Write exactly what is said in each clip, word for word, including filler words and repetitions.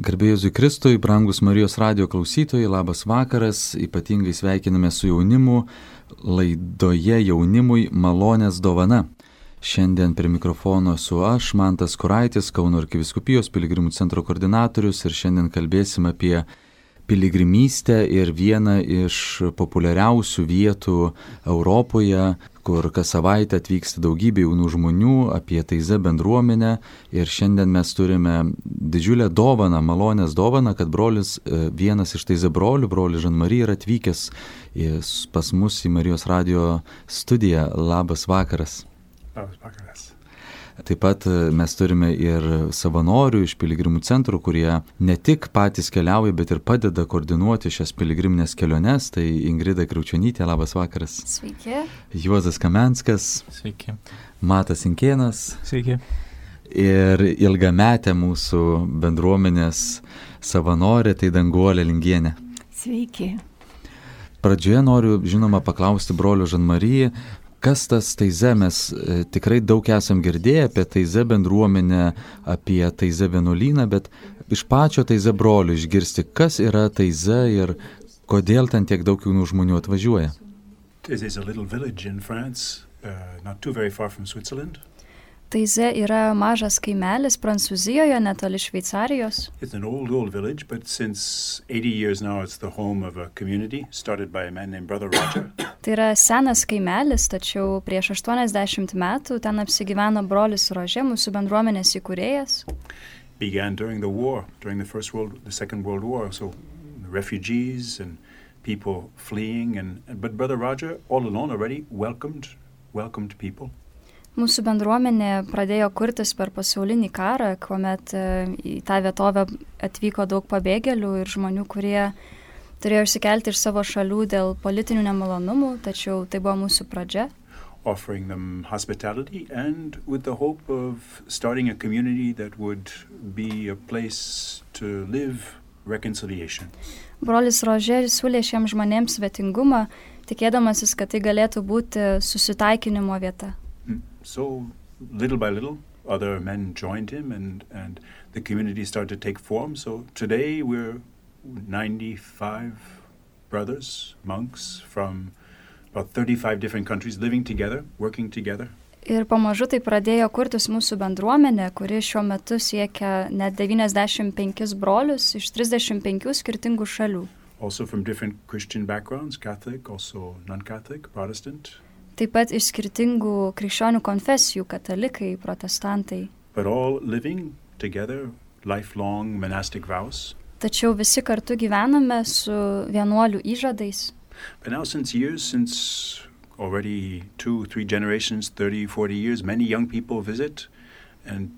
Garbė Jėzui Kristui, brangus Marijos radijo klausytojai, labas vakaras, ypatingai sveikiname su jaunimu, laidoje jaunimui malonės dovana. Šiandien prie mikrofono esu aš, Mantas Kuraitis, Kauno arkivyskupijos piligrimų centro koordinatorius ir šiandien kalbėsim apie piligrimystę ir vieną iš populiariausių vietų Europoje, kur kas savaitę atvyksta daugybė jaunų žmonių, apie Taizė bendruomenę. Ir šiandien mes turime didžiulę dovaną, malonės dovaną, kad brolis, vienas iš Taizė brolių, brolis Žan-Mari, yra atvykęs pas mus į Marijos radijo studiją. Labas vakaras. Labas vakaras. Taip pat mes turime ir savanorių iš piligrimų centrų, kurie ne tik patys keliauja, bet ir padeda koordinuoti šias piligriminės keliones. Tai Ingrida Kriaučionytė, labas vakaras. Sveiki. Juozas Kamenskas. Sveiki. Matas Inkėnas. Sveiki. Ir ilgametė mūsų bendruomenės savanorė, tai Danguolė Lingienė. Sveiki. Pradžioje noriu, žinoma, paklausti brolio Žan-Mari, kas tas Taizė? Mes e, tikrai daug esam girdėję apie Taizė bendruomenę, apie Taizė vienuolyną, bet iš pačio Taizė brolio išgirsti, kas yra Taizė ir kodėl ten tiek daug jaunų žmonių atvažiuoja. Taizė is a little village in France, uh, not too very far from Switzerland. Taizė yra mažas kaimelis Prancūzijoje, netoli Šveicarijos. It's an old, old village, but since eighty years now it's the home of a community started by a man named Brother Roger. Tai yra senas kaimelis, tačiau prieš aštuoniasdešimt metų ten apsigyveno brolis Rožė, mūsų bendruomenės įkūrėjas. Began during the war, during the First World, the Second World War, so refugees and people fleeing, and but Brother Roger, all alone already, welcomed, welcomed people. Mūsų bendruomenė pradėjo kurtis per pasaulinį karą, kuomet į tą vietovę atvyko daug pabėgėlių ir žmonių, kurie turėjo išsikelti iš savo šalių dėl politinių nemalonumų, tačiau tai buvo mūsų pradžia. Offering them hospitality and with the hope of starting a community that would be a place to live reconciliation. Brolis Rožė siūlė šiems žmonėms svetingumą, tikėdamasis, kad tai galėtų būti susitaikinimo vieta. So little by little, other men joined him and, and the community started to take form. So today we're ninety-five brothers, monks from about thirty-five different countries living together, working together. Ir pamažu tai pradėjo kurtis mūsų bendruomenė, kuri šiuo metu siekia net devyniasdešimt penkis brolius iš trisdešimt penkių skirtingų šalių. Also from different Christian backgrounds, Catholic, also non-Catholic, Protestant. Taip pat iš skirtingų krikščionių konfesijų, katalikai, protestantai. But all living together, lifelong monastic vows. Tačiau visi kartu gyvename su vienuolių įžadais. But now since years, since already two, three generations, thirty, forty years, many young people visit. And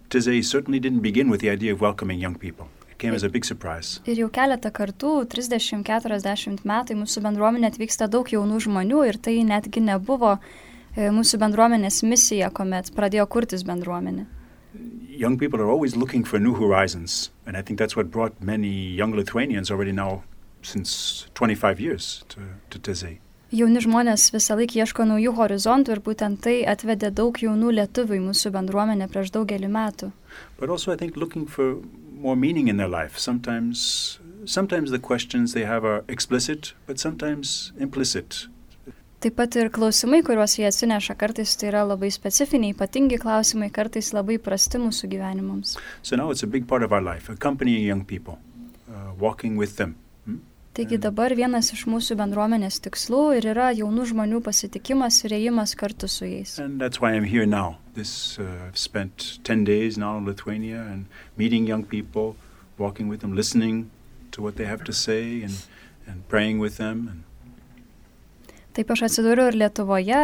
Taizė certainly didn't begin with the idea of welcoming young people. It came as a big surprise. Ir jau keletą kartų, trisdešimt keturiasdešimt metai, mūsų bendruomenė atvyksta daug jaunų žmonių ir tai netgi nebuvo mūsų bendruomenės misija, kuomet pradėjo kurtis bendruomenė. Young people are always looking for new horizons, and I think that's what brought many young Lithuanians already now since twenty-five years to, to Taizė. Jauni žmonės visą laiką ieško naujų horizontų ir būtent tai atvedė daug jaunų lietuvių į mūsų bendruomenę prieš daugelį metų. But also I think looking for more meaning in their life. Sometimes, sometimes the questions they have are explicit, but sometimes implicit. Taip pat ir klausimai, kuriuos jie atsineša, kartais tai yra labai specifiniai, ypatingi klausimai, kartais labai prasti mūsų gyvenimams. So now it's a big part of our life, accompanying young people, uh, walking with them. Hmm? Taigi dabar vienas iš mūsų bendruomenės tikslų ir yra jaunų žmonių pasitikimas ir ėjimas kartu su jais. And that's why I'm here now. This, uh, I've spent ten days now in Lithuania and meeting young people, walking with them, listening to what they have to say and, and praying with them. And Taip aš atsidūriau ir Lietuvoje,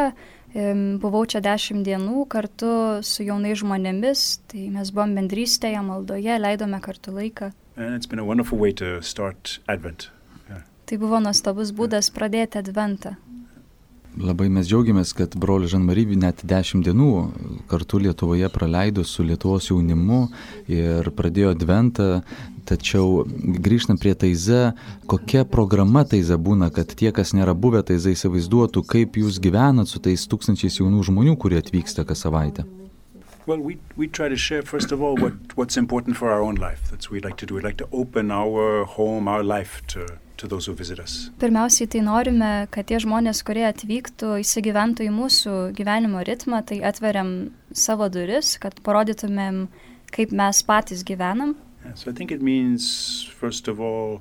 buvau čia dešimt dienų kartu su jaunais žmonėmis, tai mes buvom bendrystėje, maldoje, leidome kartu laiką. And it's been a wonderful way to start Advent. Yeah. Tai buvo nuostabus būdas pradėti Adventą. Labai mes džiaugiamės, kad broli Žan-Mari net dešimt dienų kartu Lietuvoje praleido su Lietuvos jaunimu ir pradėjo Adventą, tačiau grįžtant prie Taizė, kokia programa Taizė būna, kad tie, kas nėra buvę Taizė, įsivaizduotų, kaip jūs gyvenat su tais tūkstančiais jaunų žmonių, kurie atvyksta kas savaitę? Well, we we try to share, first of all, what, what's important for our own life. That's what we like to do. We like to open our home, our life to, to those who visit us. Pirmiausiai tai norime, kad tie žmonės, kurie atvyktų, įsigyventų į mūsų gyvenimo ritmą, tai atveriam savo duris, kad parodytumėm, kaip mes patys gyvenam. Yeah, so I think it means, first of all,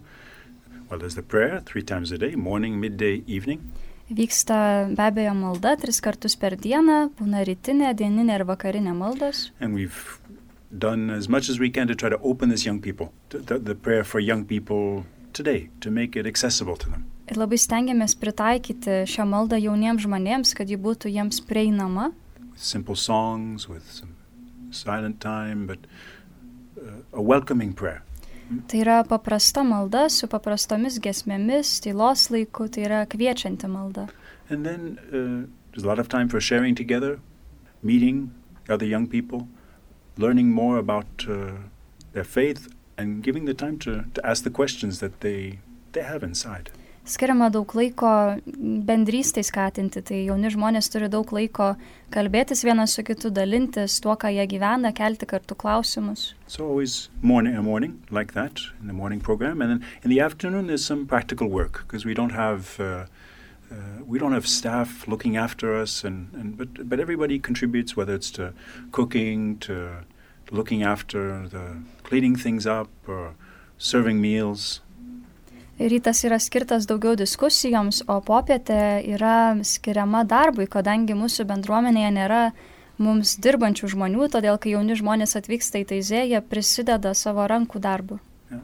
well, there's the prayer three times a day, morning, midday, evening. Vyksta be abejo malda tris kartus per dieną, būna rytinė, dieninė ir vakarinė maldos. And we've done as much as we can to try to open this young people, to, the, the prayer for young people today, to make it accessible to them. Ir labai stengiamės pritaikyti šią maldą jauniems žmonėms, kad ji būtų jiems prieinama. With simple songs, with some silent time, but uh, a welcoming prayer. Tai yra paprasta malda su paprastomis giesmėmis, tylos laiku, tai yra kviečianti malda. And then uh, there's a lot of time for sharing together, meeting other young people, learning more about uh, their faith, and giving the time to, to ask the questions that they, they have inside. Skiriama daug laiko bendrystai skatinti, tai jauni žmonės turi daug laiko kalbėtis vienas su kitu, dalintis tuo, ką jie gyvena, kelti kartu klausimus. So always morning, a morning like that, in the morning program, and then in the afternoon there's some practical work, because we don't have uh, uh, we don't have staff looking after us, and, and but but everybody contributes, whether it's to cooking, to looking after the cleaning things up, or serving meals. Rytas yra skirtas daugiau diskusijoms, o popietė yra skiriama darbui, kadangi mūsų bendruomenėje nėra mums dirbančių žmonių, todėl kai jauni žmonės atvyksta į Taizė, jie prisideda savo rankų darbu. Yeah.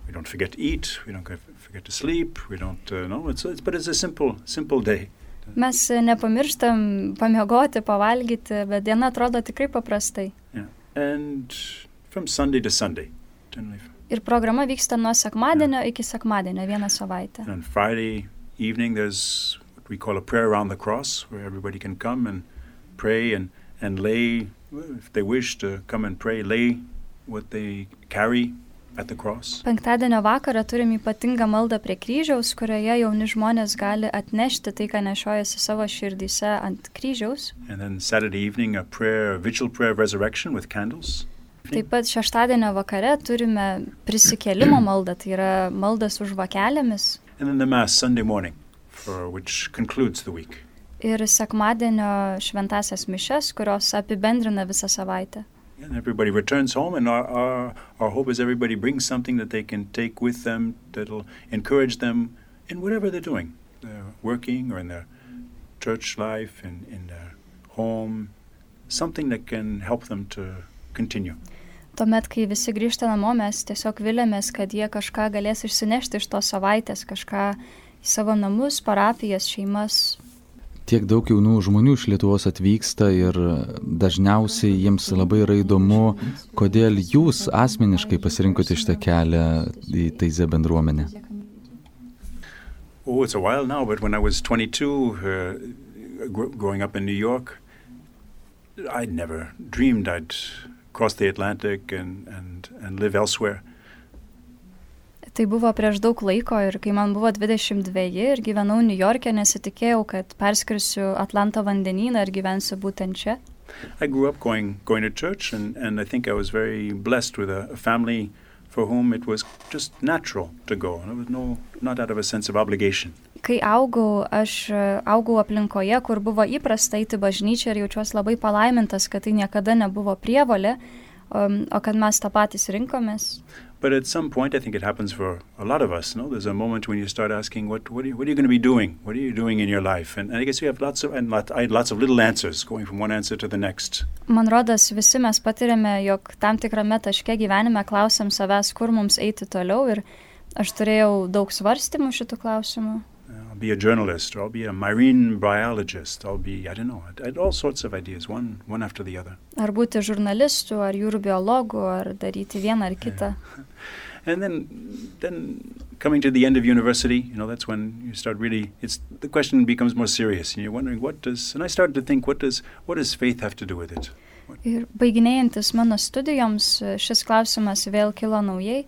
We don't forget to eat, we don't forget to sleep, we don't uh, no, it's, it's but it's a simple simple day. Mes nepamirštam pamiegoti, pavalgyti, bet diena atrodo tikrai paprastai. Yeah. And from Sunday to Sunday, generally. Ir programa vyksta nuo sekmadienio yeah. iki sekmadienio, vieną savaitę. And on Friday evening there's what we call a prayer around the cross, where everybody can come and pray and, and lay, if they wish to come and pray, lay what they carry at the cross. Penktadienio vakarą turim ypatingą maldą prie kryžiaus, kurioje jauni žmonės gali atnešti tai, ką nešiojasi savo širdyse ant kryžiaus. And then Saturday evening a prayer, a vigil prayer of resurrection with candles. Taip pat šeštadienio vakare turime prisikėlimo maldą, tai yra maldas už žvakelėmis. And then the Mass Sunday morning, for which concludes the week. Ir sekmadienio šventasias mišes, kurios apibendrina visą savaitę. And everybody returns home, and our, our, our hope is everybody brings something that they can take with them that'll encourage them in whatever they're doing. They're working or in their church life, in, in their home, something that can help them to continue. Tuomet, kai visi grįžta namo, mes tiesiog vilėmės, kad jie kažką galės išsinešti iš tos savaitės, kažką į savo namus, parapijas, šeimas. Tiek daug jaunų žmonių iš Lietuvos atvyksta ir dažniausiai jiems labai yra įdomu, kodėl jūs asmeniškai pasirinkote šitą kelią į Taizė bendruomenę. Oh, it's a while now, but when I was twenty-two, uh, gr- growing up in New York, I'd never dreamed I'd cross the Atlantic and, and, and live elsewhere. Tai buvo prieš daug laiko ir kai man buvo dvidešimt dveji ir gyvenau New York'e, nesitikėjau, kad perskrisiu Atlanto vandenyną ir gyvensiu būtent čia. I grew up going, going to church, and, and I think I was very blessed with a, a family for whom it was just natural to go. There was no, not out of a sense of obligation. Kai augau, aš augau aplinkoje, kur buvo įprasta eiti bažnyčią ir jaučiuosi labai palaimintas, kad tai niekada nebuvo prievolė, um, o kad mes tą patys rinkomės. But at some point, I think it happens for a lot of us, no? There's a moment when you start asking, what, what, are, you, what are you going to be doing? What are you doing in your life? And, and I guess you have lots of, and lot, I had lots of little answers, going from one answer to the next. Man rodos, visi mes patiriame, jog tam tikrame taške gyvenime klausiam savęs, kur mums eiti toliau, ir aš turėjau daug svarstymų šitų klausimų. I'll be a journalist, or I'll be a marine biologist, I'll be, I don't know, I had all sorts of ideas, one, one after the other. Ar būti žurnalistu, ar jūrų biologu, ar daryti vieną ar kitą. Yeah. And then, then coming to the end of university, you know, that's when you start really, it's, the question becomes more serious, and you're wondering, what does, and I started to think, what does, what does faith have to do with it? What? Ir baiginėjantis mano studijoms, šis klausimas vėl kilo naujai.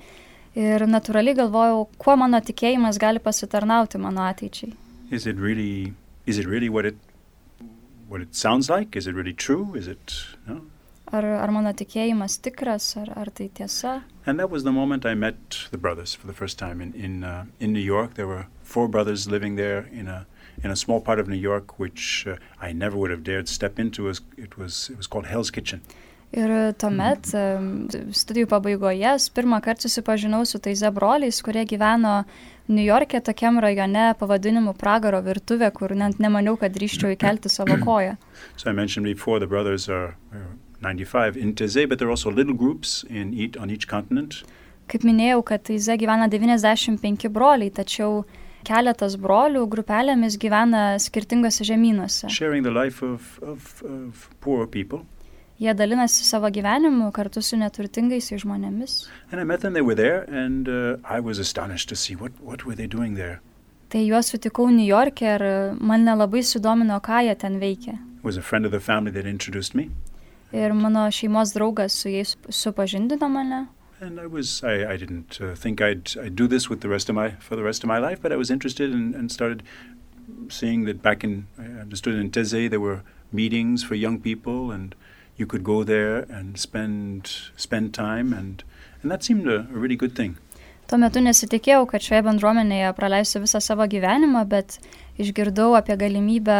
Ir natūraliai galvojau, kuo mano tikėjimas gali pasitarnauti mano ateičiai. Is it really, is it really what it, what it sounds like? Is it really true? Is it, no? ar, ar mano tikėjimas tikras, ar, ar tai tiesa. And that was the moment I met the brothers for the first time in in, uh, in New York. There were four brothers living there in a in a small part of New York, which uh, I never would have dared step into. It was it was called Hell's Kitchen. Ir tuomet studijų pabaigoje pirmą kartą susipažinau su tais broliais, kurie gyveno Niujorke tokiam rajone pavadinimu Pragaro virtuvė, kur net nemaniau, kad drįsčiau įkelti savo koją. So I mentioned before the brothers are ninety-five in Taizé, but there are also little groups in each, on each continent. Kaip minėjau, kad Taizé gyvena devyniasdešimt penki broliai, tačiau keletas brolių grupelėmis gyvena skirtingose žemynuose. Sharing the life of, of, of poor people. Jie dalinasi savo gyvenimu kartu su neturtingais žmonėmis. And I met them, they were there, and uh, I was astonished to see what, what were they doing there. Tai juos sutikau Niujorke ir man nelabai sudomino, ką jie ten veikia. It was a friend of the family that introduced me. Ir mano šeimos draugas su jais supažindino mane. And I was, I, I didn't uh, think I'd, I'd do this with the rest of my, for the rest of my life, but I was interested and, and started seeing that back in, I understood in Taizé there were meetings for young people, and you could go there and spend spend time, and and that seemed a, a really good thing. Tuo metu nesitikėjau, kad šioje bendruomenėje praleisiu visą savo gyvenimą, bet išgirdau apie galimybę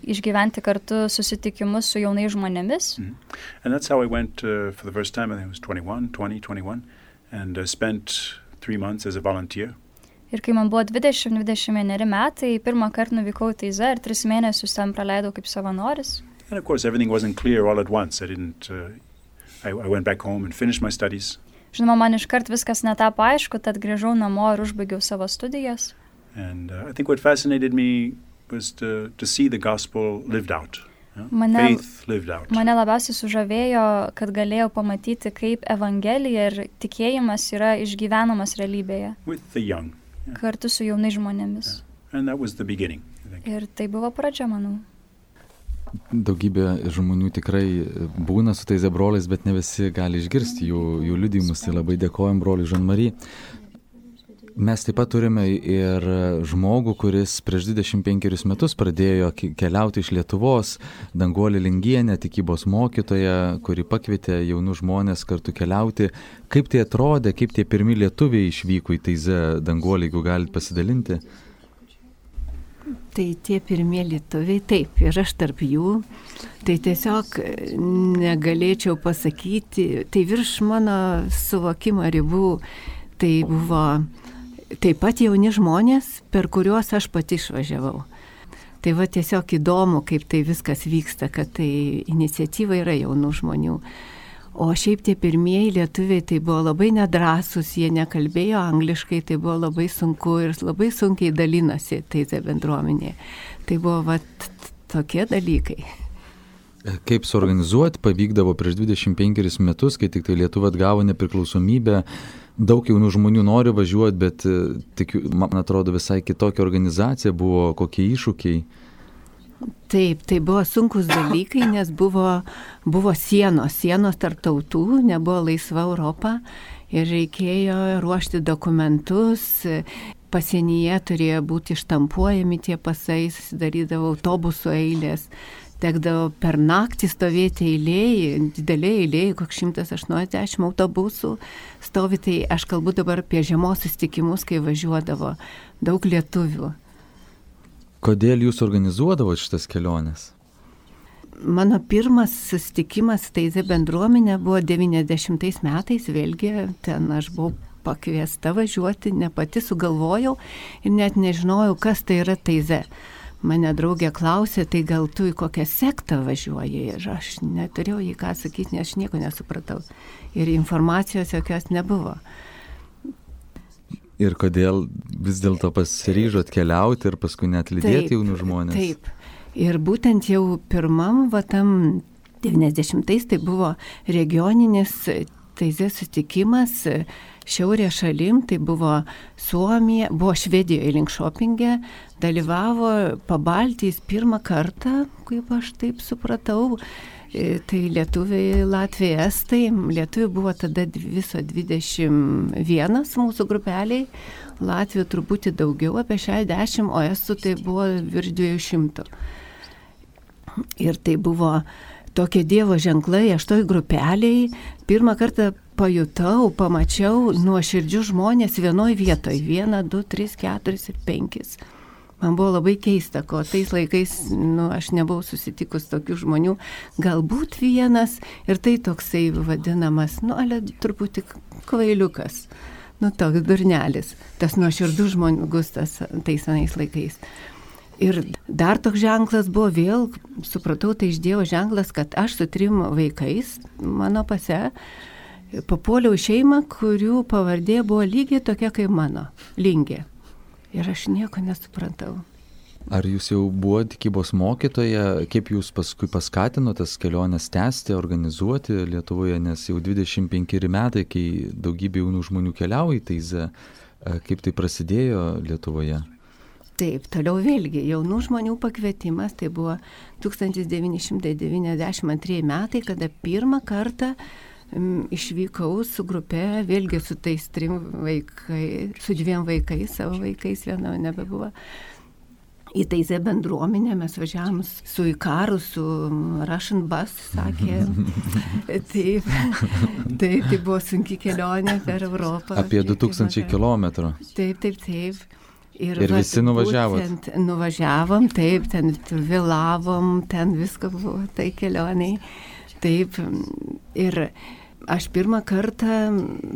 išgyventi kartu susitikimus su jaunais žmonėmis. Mm-hmm. And that's how I went uh, for the first time. I think I was twenty-one, twenty, twenty-one, and uh, spent three months as a volunteer. Ir kai man buvo dvidešimt dvidešimt vieneri metai, pirmą kartą nuvykau į Taizę ir tris mėnesius ten praleidau kaip savanoris. And of course, everything wasn't clear all at once. I didn't. Uh, I, I went back home and finished my studies. Žinoma, man iškart viskas netapo aišku, tad grįžau namo ir užbaigiau savo studijas. And uh, I think what fascinated me was to to see the gospel lived out. Yeah? Mane, Faith lived out. Mane labiausiai sužavėjo, kad galėjau pamatyti, kaip evangelija ir tikėjimas yra išgyvenamas realybėje. With the young. Yeah. Kartu su jaunais žmonėmis. Yeah. And that was the beginning, I think. Ir tai buvo pradžia, manau. Daugybė žmonių tikrai būna su tais broliais, bet ne visi gali išgirsti jų, jų liudijimus. Tai labai dėkojam broliui Jean-Marie. Mes taip pat turime ir žmogų, kuris prieš dvidešimt penkerius metus pradėjo keliauti iš Lietuvos, Danguolė Lingienė, tikybos mokytoja, kuri pakvietė jaunus žmonės kartu keliauti. Kaip tai atrodė, kaip tie pirmi lietuviai išvyko į Taizę, Danguolė, jeigu galite pasidalinti? Tai tie pirmie lietuviai, taip, ir aš tarp jų, tai tiesiog negalėčiau pasakyti, tai virš mano suvokimo ribų, tai buvo taip pat jauni žmonės, per kuriuos aš pati išvažiavau. Tai va tiesiog įdomu, kaip tai viskas vyksta, kad tai iniciatyva yra jaunų žmonių. O šiaip tie pirmieji lietuviai tai buvo labai nedrąsūs, jie nekalbėjo angliškai, tai buvo labai sunku ir labai sunkiai dalinasi Taizė bendruomenė. Tai buvo vat tokie dalykai. Kaip suorganizuoti pavykdavo prieš dvidešimt penkerius metus, kai tik tai Lietuva atgavo nepriklausomybę, daug jaunų žmonių nori važiuoti, bet tik, man atrodo, visai kitokia organizacija buvo, kokie iššūkiai. Taip, tai buvo sunkus dalykai, nes buvo, buvo sienos, sienos tarp tautų, nebuvo laisva Europa ir reikėjo ruošti dokumentus, pasienyje turėjo būti štampuojami tie pasai, susidarydavo autobusų eilės, tekdavo per naktį stovėti eilėje, didelė eilėje, koks šimtas aštuoniasdešimt autobusų stovi, tai aš kalbu dabar apie žiemos susitikimus, kai važiuodavo daug lietuvių. Kodėl jūs organizuodavote šitas keliones? Mano pirmas susitikimas Taizė bendruomenė buvo devyniasdešimtais metais, vėlgi ten aš buvau pakviesta važiuoti, ne pati sugalvojau ir net nežinojau, kas tai yra Taizė. Mane draugė klausė, tai gal tu į kokią sektą važiuoji, ir aš neturėjau jį ką sakyti, nes aš nieko nesupratau. Ir informacijos jokios nebuvo. Ir kodėl vis dėlto pasiryžot keliauti ir paskui net lydėti jaunų žmonės? Taip, ir būtent jau pirmam, va tam devyniasdešimtais tai buvo regioninis Taizė susitikimas šiaurės šalim, tai buvo Suomija, buvo Švedijoje Linkšopinge, dalyvavo Pabaltijos pirmą kartą, kaip aš taip supratau, tai lietuviai, latviai, estai, lietuviai buvo tada viso dvidešimt vienas mūsų grupeliai, latvių truputį daugiau, apie šešiasdešimt, o estų tai buvo virš dviejų šimtų. Ir tai buvo tokie Dievo ženklai, aš toj grupeliai pirmą kartą pajutau, pamačiau nuoširdžius žmonės vienoj vietoj. Vieną, du, tris, keturis ir penkis. Man buvo labai keista, ko tais laikais, nu, aš nebuvau susitikus tokių žmonių, galbūt vienas ir tai toksai vadinamas, nu, ale truputį kvailiukas, nu, toks durnelis, tas nuoširdus žmogus tas tais anais laikais. Ir dar toks ženklas buvo vėl, supratau, tai iš Dievo ženklas, kad aš su trim vaikais mano pase papuoliau į šeimą, kurių pavardė buvo lygiai tokia kaip mano, Lingė. Ir aš nieko nesuprantau. Ar jūs jau buvote tikybos mokytoja, kaip jūs paskui paskatino tas keliones tęsti, organizuoti Lietuvoje, nes jau dvidešimt penkeri metai, kai daugybė jaunų žmonių keliauja į Taizę, kaip tai prasidėjo Lietuvoje? Taip, toliau vėlgi, jaunų žmonių pakvietimas, tai buvo tūkstantis devyni šimtai devyniasdešimt antrieji metai, kada pirmą kartą išvykau su grupe, vėlgi su tais trim vaikai, su dviem vaikais, savo vaikais, vieno nebebuvo. Į Taizę bendruomenę mes važiavom su Ikaru, su Russian Bus, sakė. Taip, taip, tai buvo sunki kelionė per Europą. Apie du tūkstančiai kilometrų. Taip, taip, taip. Ir, ir visi nuvažiavot? Nuvažiavom, taip, ten vėlavom, ten visko buvo tai kelioniai. Taip, ir aš pirmą kartą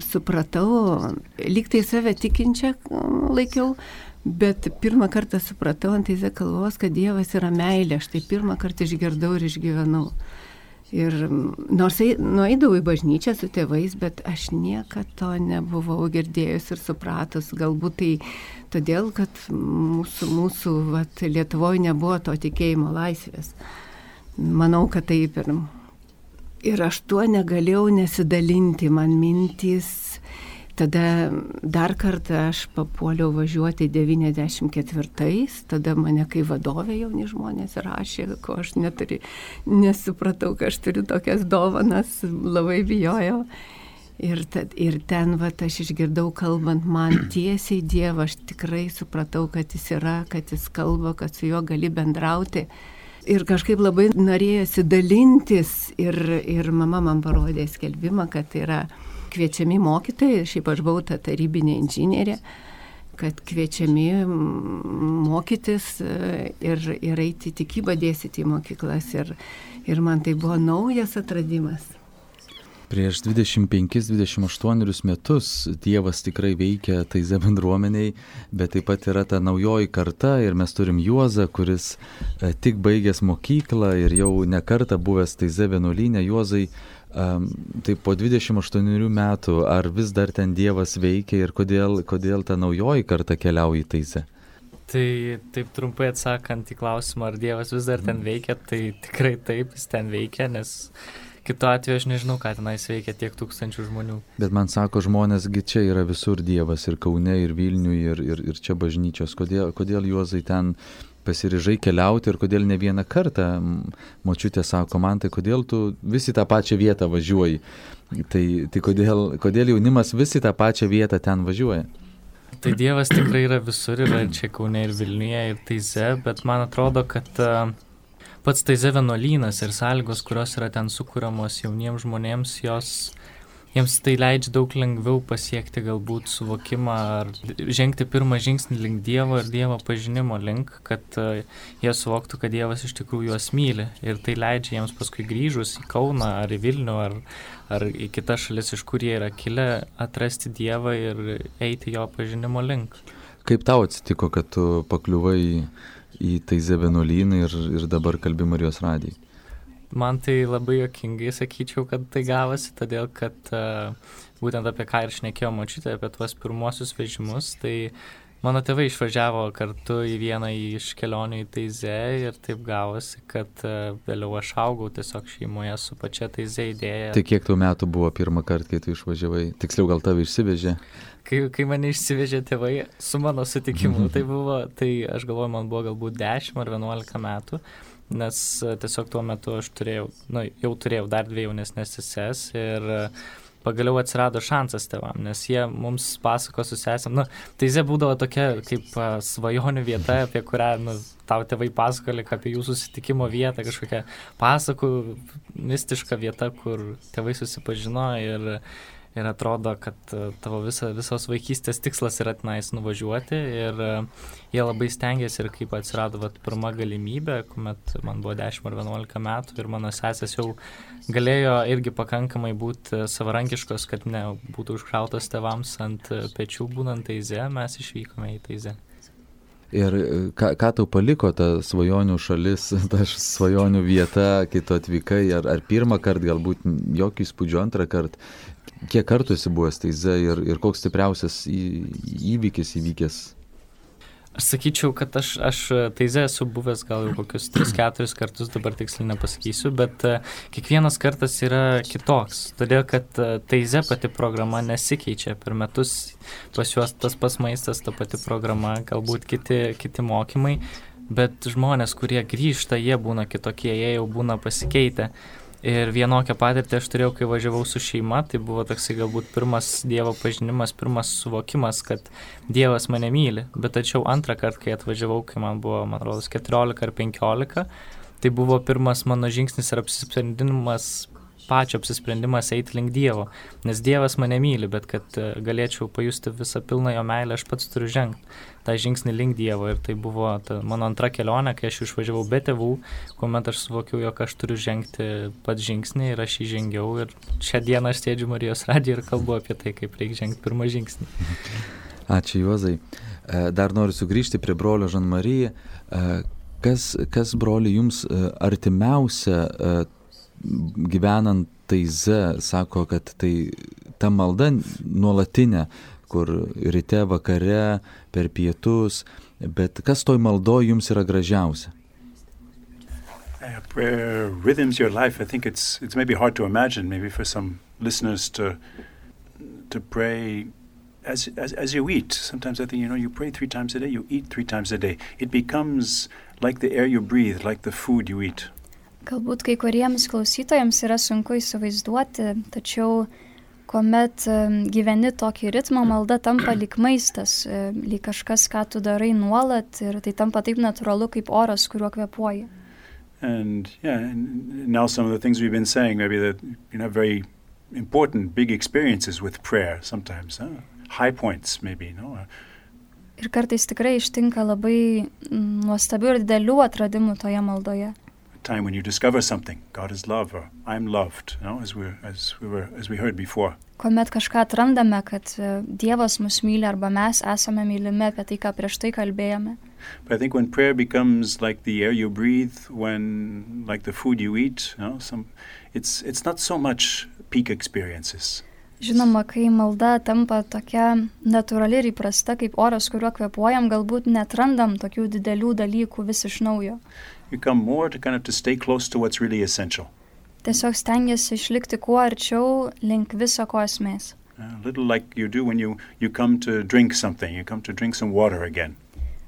supratau, lyg tai save tikinčią laikiau, bet pirmą kartą supratau ant Taizė kalvos, kad Dievas yra meilė, aš tai pirmą kartą išgirdau ir išgyvenau. Ir nors nueidavau į bažnyčią su tėvais, bet aš niekad to nebuvau girdėjus ir supratus, galbūt tai todėl, kad mūsų, mūsų vat, Lietuvoje nebuvo to tikėjimo laisvės. Manau, kad taip ir... Ir aš tuo negalėjau nesidalinti, man mintys. Tada dar kartą aš papuoliau važiuoti devyniasdešimt ketvirtais, tada mane kai vadovė jauni žmonės rašė, ko aš neturi, nesupratau, kad aš turiu tokias dovanas, labai bijojau. Ir, tad, ir ten vat, aš išgirdau kalbant man tiesiai Dievą, aš tikrai supratau, kad jis yra, kad jis kalba, kad su juo gali bendrauti. Ir kažkaip labai norėjosi dalintis ir, ir mama man parodė skelbimą, kad yra kviečiami mokytojai, šiaip aš buvau ta tarybinė inžinierė, kad kviečiami mokytis ir, ir eiti tikybą dėstyti į mokyklas. Ir, ir man tai buvo naujas atradimas. Prieš dvidešimt penkis dvidešimt aštuonerius metus Dievas tikrai veikia Taizė bendruomeniai, bet taip pat yra ta naujoji karta ir mes turim Juozą, kuris tik baigęs mokyklą ir jau ne kartą buvęs Taizė vienuolyne. Juozai, tai po dvidešimt aštuonerių metų, ar vis dar ten Dievas veikia ir kodėl, kodėl ta naujoji karta keliauja į Taizę? Tai taip trumpai atsakant į klausimą, ar Dievas vis dar ten veikia, tai tikrai taip, jis ten veikia, nes kitu atveju aš nežinau, ką tenais veikia tiek tūkstančių žmonių. Bet man sako žmonėsgi, čia yra visur Dievas, ir Kaune, ir Vilniuje, ir, ir, ir čia bažnyčios. Kodėl, kodėl Juozai ten pasiryžai keliauti ir kodėl ne vieną kartą? Močiutė sako man, tai kodėl tu vis į tą pačią vietą važiuoji? Tai, tai kodėl, kodėl jaunimas vis į tą pačią vietą ten važiuoja? Tai Dievas tikrai yra visur, yra čia Kaune ir Vilniuje ir Taizė, bet man atrodo, kad uh, pats Taizė vienuolynas ir sąlygos, kurios yra ten sukuriamos jauniems žmonėms, jos, jiems tai leidžia daug lengviau pasiekti galbūt suvokimą ar žengti pirmą žingsnį link Dievo ir Dievo pažinimo link, kad uh, jie suvoktų, kad Dievas iš tikrųjų juos myli. Ir tai leidžia jiems paskui grįžus į Kauną ar į Vilnių ar, ar į kitas šalis, iš kur jie yra kilę, atrasti Dievą ir eiti jo pažinimo link. Kaip tau atsitiko, kad tu pakliuvai į Taizė vienuolyną ir, ir dabar kalbi Marijos radijai? Man tai labai juokingai sakyčiau, kad tai gavosi, todėl kad uh, būtent apie ką ir šnekėjo močiutė, apie tuos pirmuosius vežimus, tai mano tėvai išvažiavo kartu į vieną iš kelionių į Taizę ir taip gavosi, kad uh, vėliau aš augau tiesiog šeimoje su pačia Taizė idėja. Tai kiek tau metų buvo pirmą kartą, kai tu išvažiavai? Tiksliau, gal tave išsivežė? Kai, kai mane išsivežė tėvai su mano sutikimu, tai buvo, tai aš galvoju, man buvo galbūt dešimt ar vienuolika metų, nes tiesiog tuo metu aš turėjau, nu, jau turėjau dar dvi jaunesnės seses ir pagaliau atsirado šansas tėvam, nes jie mums pasako su sesėm. Nu, Taize būdavo tokia kaip a, svajonių vieta, apie kurią nu, tau tėvai pasakoli, apie jų susitikimo vietą, kažkokia pasakų mistiška vieta, kur tėvai susipažino ir Ir atrodo, kad tavo visa, visos vaikystės tikslas yra tenais nuvažiuoti ir jie labai stengiasi ir kaip atsirado vat, pirma galimybė, kuomet man buvo dešimt ar vienuolika metų ir mano sesės jau galėjo irgi pakankamai būti savarankiškos, kad ne būtų užkrautos tėvams ant pečių būnant Taize, mes išvykome į Taizę. Ir ką, ką tau paliko ta svajonių šalis, ta svajonių vieta, kai tu atvykai, ar, ar pirmą kartą, galbūt jokį įspūdžio antrą kartą, kiek kartų esi buvęs Taize ir, ir koks stipriausias į, įvykis įvykęs? Aš sakyčiau, kad aš, aš Taize esu buvęs gal jau kokius tris keturis kartus, dabar tiksliai nepasakysiu, bet uh, kiekvienas kartas yra kitoks, todėl kad uh, Taize pati programa nesikeičia per metus, pas juos tas pas maistas, ta pati programa, galbūt kiti, kiti mokymai, bet žmonės, kurie grįžta, jie būna kitokie, jie jau būna pasikeitę. Ir vienokią patirtį aš turėjau, kai važiavau su šeima, tai buvo toksai galbūt pirmas Dievo pažinimas, pirmas suvokimas, kad Dievas mane myli. Bet tačiau antrą kartą, kai atvažiavau, kai man buvo, man rodos, keturiolika ar penkiolika, tai buvo pirmas mano žingsnis ir apsisprendimas, pačio apsisprendimas eiti link Dievo. Nes Dievas mane myli, bet kad galėčiau pajusti visą pilną jo meilę, aš pats turiu žengti tą žingsnį link Dievo. Ir tai buvo ta, mano antra kelionė, kai aš išvažiavau be tėvų, kuomet aš suvokiau, jog aš turiu žengti pats žingsnį ir aš jį žengiau. Ir šią dieną aš sėdžiu Marijos radijoje ir kalbu apie tai, kaip reikia žengti pirmą žingsnį. Ačiū, Juozai. Dar noriu sugrįžti prie brolio Žan-Marie. Kas, kas broli jums artimiausia gyvenant Taize, sako, kad tai ta malda nuolatinė, kur ryte, vakare, per pietus, bet kas toj maldoj jums yra gražiausia? Uh, prayer rhythms your life. I think it's it's maybe hard to imagine, maybe for some listeners to to pray as as as you eat. Sometimes I think, you know, you pray three times a day, you eat three times a day. It becomes like the air you breathe, like the food you eat. Galbūt kai kuriems klausytojams yra sunku įsivaizduoti, tačiau kuomet gyveni tokį ritmą, malda tampa lyg maistas, lyg kažkas, ką tu darai nuolat ir tai tampa taip natūralu kaip oras, kuriuo kvėpuoji. And yeah, and now some of the things we've been saying, maybe that you know very important big experiences with prayer sometimes, huh? High points maybe, no? Ir kartais tikrai ištinka labai nuostabių ir didelių atradimų toje maldoje. Time when you discover something, God is love, or I'm loved, you know, as we as we were as we heard before. Kuomet kažką atrandame, kad Dievas mus myli arba mes esame mylimi, apie tai, ką prieš tai kalbėjome. But I think when prayer becomes like the air you breathe, when like the food you eat, you know, some it's it's not so much peak experiences. Žinoma, kai malda tampa tokia natūrali ir įprasta, kaip oras, kuriuo kvėpuojam, galbūt netrandam tokių didelių dalykų vis iš naujo. You come more to kind of to stay close to what's really essential. Tiesiog stengiasi išlikti kuo arčiau link viso ko esmės. A little like you do when you you come to drink something, you come to drink some water again.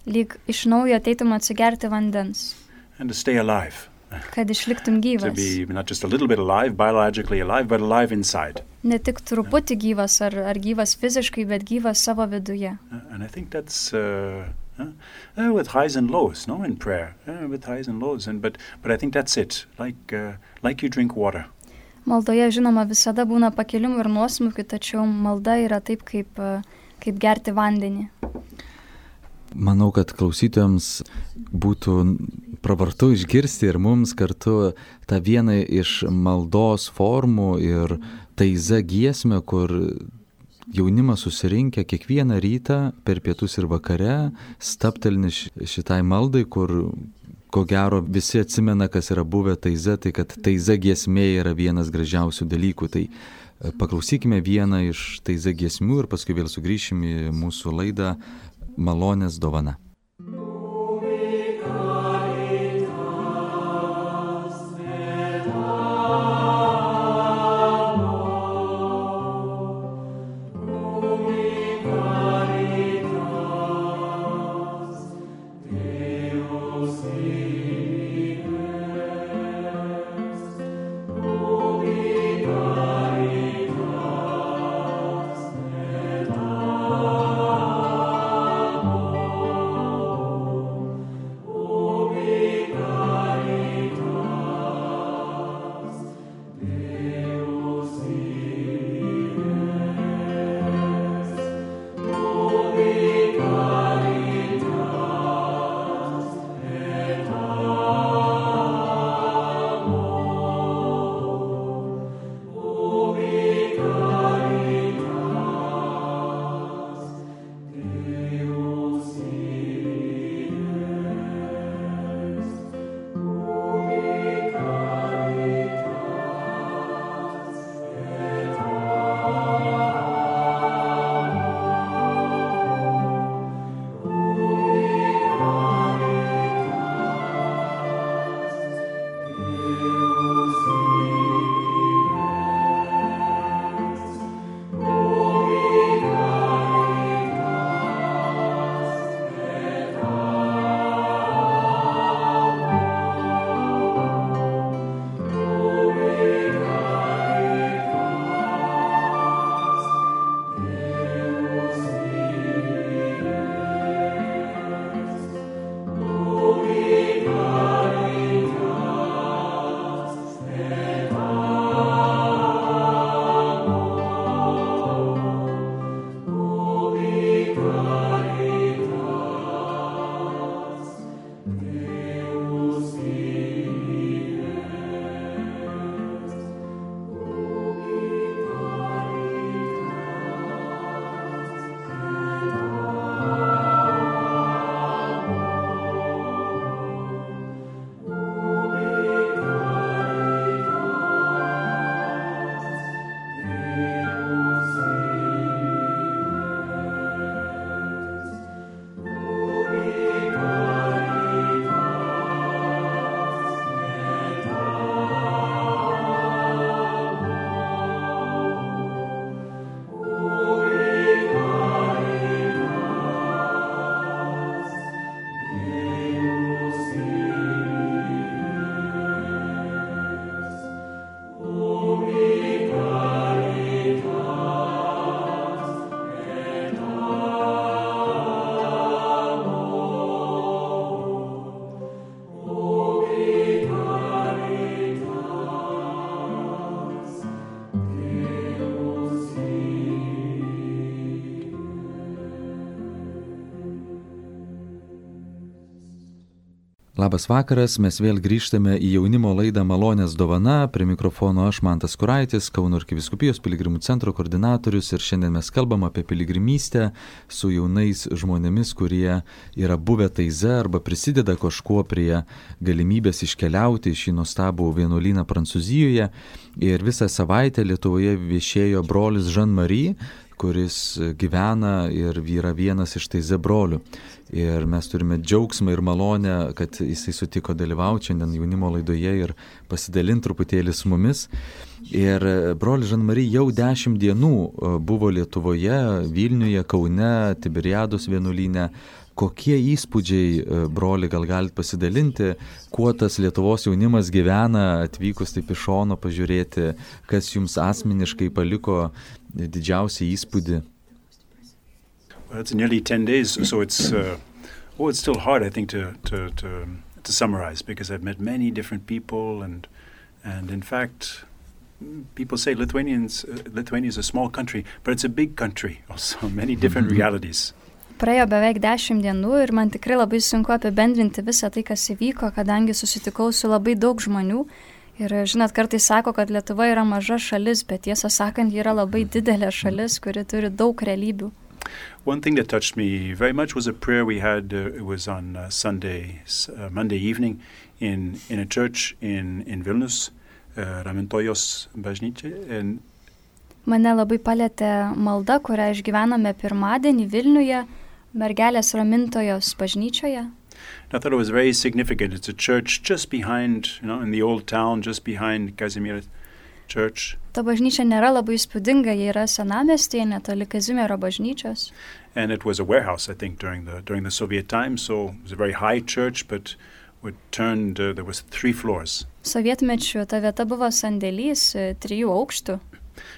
Lyg iš naujo ateitum atsigerti vandens. And to stay alive. Kad išliktum gyvas. To be not just a little bit alive, biologically alive, but alive inside. Ne tik truputį gyvas ar, ar gyvas fiziškai, bet gyvas savo viduje. Uh, and I think that's uh, uh, uh, with highs and lows, no, in prayer, uh, with highs and lows, and but but I think that's it. Like uh, like you drink water. Maldoje, žinoma, visada būna pakilimų ir nuosmukių, tačiau malda yra taip, kaip, kaip gerti vandenį. Manau, kad klausytojams būtų pravartu išgirsti ir mums kartu tą vieną iš maldos formų ir Taize giesmę, kur jaunimas susirinkę kiekvieną rytą per pietus ir vakare, staptelni šitai maldai, kur ko gero visi atsimena, kas yra buvę Taize, tai kad Taize giesmė yra vienas gražiausių dalykų. Tai paklausykime vieną iš Taize giesmių ir paskui vėl sugrįšim į mūsų laidą Malonės dovana. Caritas, Labas vakaras, mes vėl grįžtame į jaunimo laidą Malonės dovana. Prie mikrofono aš, Mantas Kuraitis, Kauno arkivyskupijos piligrimų centro koordinatorius, ir šiandien mes kalbam apie piligrimystę su jaunais žmonėmis, kurie yra buvę Taize arba prisideda kažkuo prie galimybės iškeliauti į šį nuostabų vienuolyną Prancūzijoje. Ir visą savaitę Lietuvoje viešėjo brolis Jean-Marie, kuris gyvena ir yra vienas iš Taize brolių. Ir mes turime džiaugsmą ir malonę, kad jisai sutiko dalyvauti šiandien jaunimo laidoje ir pasidalinti truputėlį su mumis. Ir brolis Jean-Marie jau dešimt dienų buvo Lietuvoje, Vilniuje, Kaune, Tiberiados vienuolyne. Kokie įspūdžiai, broli, gal galite pasidalinti, kuo tas Lietuvos jaunimas gyvena, atvykus taip iš šono pažiūrėti, kas jums asmeniškai paliko didžiausią įspūdį? Well, it's nearly ten days, so it's uh, oh, it's still hard, I think, to to to to summarize, because I've met many different people, and and in fact, people say Lithuanians uh, Lithuania is a small country, but it's a big country, also many different mm-hmm. realities. Praėjo beveik dešimt dienų ir man tikrai labai sunku apibendrinti visą tai, kas įvyko, kadangi susitikau su labai daug žmonių. Ir žinot, kartais sako, kad Lietuva yra maža šalis, bet tiesą sakant, ji yra labai didelė šalis, kuri turi daug realybių. One thing that touched me very much was a prayer we had. Uh, it was on uh, Sunday, uh, Monday evening, in in a church in in Vilnius, uh, Ramintojos bažnyčia. And mane labai palėtė malda, kurią išgyvenome pirmadienį Vilniuje, mergelės Ramintojos bažnyčioje. I thought it was very significant. It's a church just behind, you know, in the old town, just behind Kazimierz Church. Ta bažnyčia nėra labai įspūdinga, jie yra senamiestyje, netoli Kazimiero bažnyčios. And it was a warehouse, I think, during the during the Soviet time. So it was a very high church, but it turned. Uh, there was three floors. Sovietmečiu ta vieta buvo sandėlys, trijų aukštų.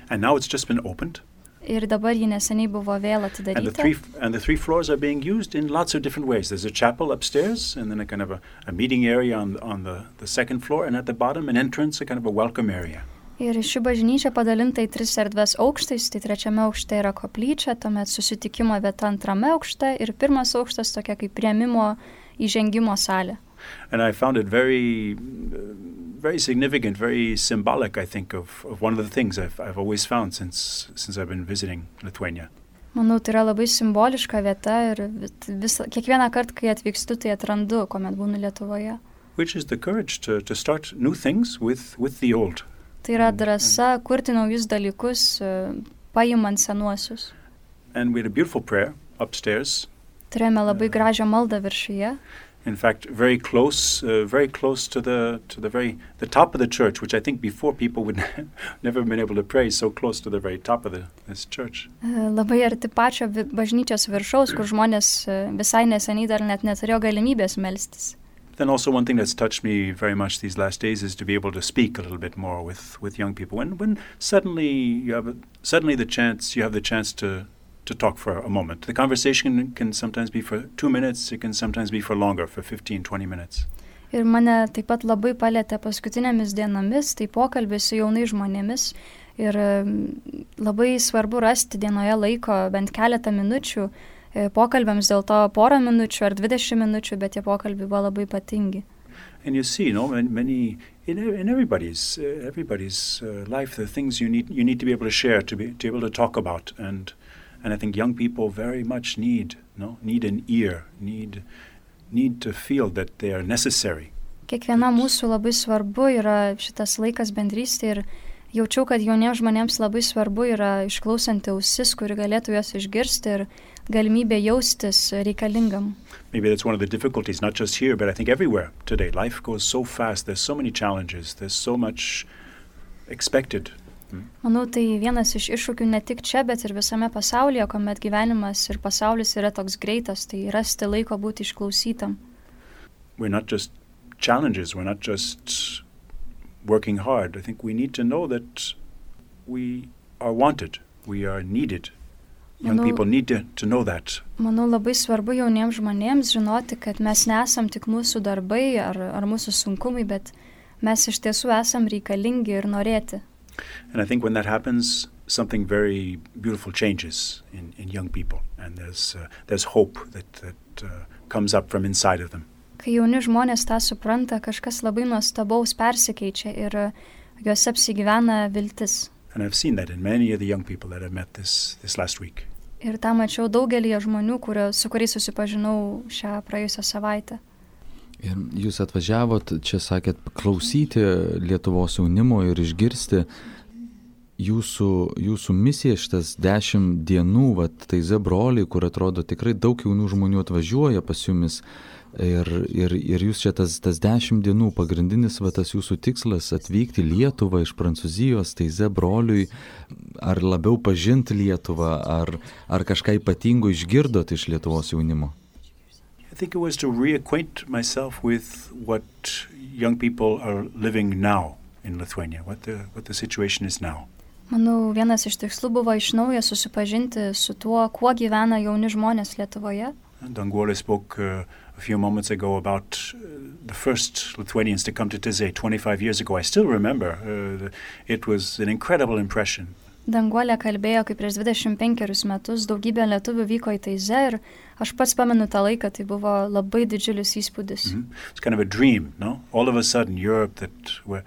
And now it's just been opened. Ir dabar ji neseniai buvo vėl And the atidaryta. three and the three floors are being used in lots of different ways. There's a chapel upstairs, and then a kind of a, a meeting area on on the the second floor, and at the bottom an entrance, a kind of a welcome area. Ir ši bažnyčia padalinta į tris erdves aukštais, tai trečiame aukšte yra koplyčia, tuomet susitikimo vieta antrame aukšte ir pirmas aukštas tokia kaip priėmimo įžengimo salė. And I found it very, uh, very significant, very symbolic, I think, of, of one of the things I've, I've always found since since I've been visiting Lithuania. Manau, tai yra labai simboliška vieta ir vis, kiekvieną kartą, kai atvykstu, tai atrandu, kuomet būnu Lietuvoje. Which is the courage to, to start new things with, with the old. Tai yra drąsa kurti naujus dalykus, paimant senuosius. And we had a beautiful prayer upstairs. Turėjome labai gražią maldą viršuje. In fact, very close, uh, very close to the to the very the top of the church, which I think before people would never have been able to pray, so close to the very top of the, this church. Labai arti pačio bažnyčios viršaus, kur žmonės visai neseniai dar net neturėjo galimybės melstis. Then also one thing that's touched me very much these last days is to be able to speak a little bit more with, with young people. When when suddenly you have a, suddenly the chance you have the chance to to talk for a moment. The conversation can sometimes be for two minutes, it can sometimes be for longer, for fifteen, twenty minutes. Ir mane taip pat labai palėtė paskutinėmis dienomis, tai pokalbis su jaunais žmonėmis. Ir labai svarbu rasti dienoje laiko bent keletą minučių pokalbiams, dėl to porą minučių ar dvidešimt minučių, bet tie pokalbiai buvo labai ypatingi. And you see, you know, many in, in everybody's uh, everybody's uh, life, the things you need you need to be able to share, to be to be able to talk about, and and I think young people very much need, you know, need an ear, need need to feel that they are necessary. Kiekvienam mūsų labai svarbu yra šitas laikas bendrystė ir jaučiau, kad jauniems žmonėms labai svarbu yra išklausanti ausis, kuri galėtų juos išgirsti ir galimybė jaustis reikalingam. Maybe that's one of the difficulties, not just here, but I think everywhere today. Life goes so fast, there's so many challenges, there's so much expected. Hmm? Manau, tai vienas iš iššūkių ne tik čia, bet ir visame pasaulyje, kuomet gyvenimas ir pasaulis yra toks greitas, tai rasti laiko būti išklausytam. We're not just challenges, we're not just working hard. I think we need to know that we are wanted, we are needed. Young Manau, people need to, to know that. Manau, labai svarbu jauniems žmonėms žinoti, kad mes nesam tik mūsų darbai ar, ar mūsų sunkumai, bet mes iš tiesų esam reikalingi ir norėti. And I think when that happens, something very beautiful changes in, in young people, and there's uh, there's hope that that uh, comes up from inside of them. Kai jauni žmonės tą supranta, kažkas labai nuostabaus persikeičia ir juose apsigyvena viltis. And I've seen that in many of the young people that I've met this, this last week. Ir tą mačiau daugelį žmonių, kurio, su kuriais susipažinau šią praėjusią savaitę. Ir jūs atvažiavot, čia sakėt, klausyti Lietuvos jaunimo ir išgirsti jūsų, jūsų misiją šitas dešimt dienų, vat, Taize broliai, kur atrodo tikrai daug jaunų žmonių atvažiuoja pas jumis. Ir, ir, ir jūs čia tas, tas dešimt dienų pagrindinis va, tas jūsų tikslas atvykti Lietuvą iš Prancūzijos, Taize broliui, ar labiau pažinti Lietuvą, ar, ar kažką ypatingo išgirdot iš Lietuvos jaunimo? I think it was to reacquaint myself with what young people are living now in Lithuania, what the, what the situation is now. Manau, vienas iš tikslų buvo iš naujo susipažinti su tuo, kuo gyvena jauni žmonės Lietuvoje. Danguolė spoke uh, a few moments ago about uh, the first Lithuanians to come to Taize twenty-five years ago. I still remember. Uh, it was an incredible impression. Danguolė kalbėjo, kaip prieš dvidešimt penkerius metus daugybė lietuvių vyko į Taize ir aš pats pamenu tą laiką, tai buvo labai didžiulis įspūdis. Mm-hmm. It's kind of a dream, no? All of a sudden Europe that where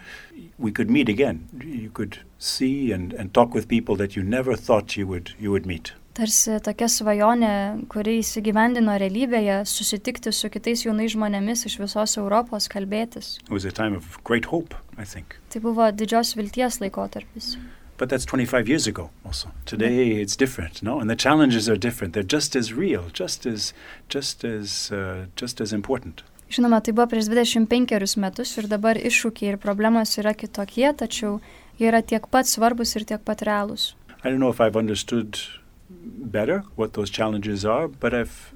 we could meet again. You could see and, and talk with people that you never thought you would, you would meet. Tarsi tokia svajonė, kuri įsigyvendino realybėje, susitikti su kitais jaunais žmonėmis iš visos Europos, kalbėtis. It was a time of great hope, I think. Tai buvo didžios vilties laikotarpis. But that's twenty-five years ago also. Today it's different, no? And the challenges are different. They're just as real, just as, just as, uh, just as important. Žinoma, tai buvo prieš dvidešimt penkerius metus ir dabar iššūkiai ir problemos yra kitokie, tačiau jie yra tiek pat svarbus ir tiek pat realūs. I don't know if I've understood better what those challenges are, but I've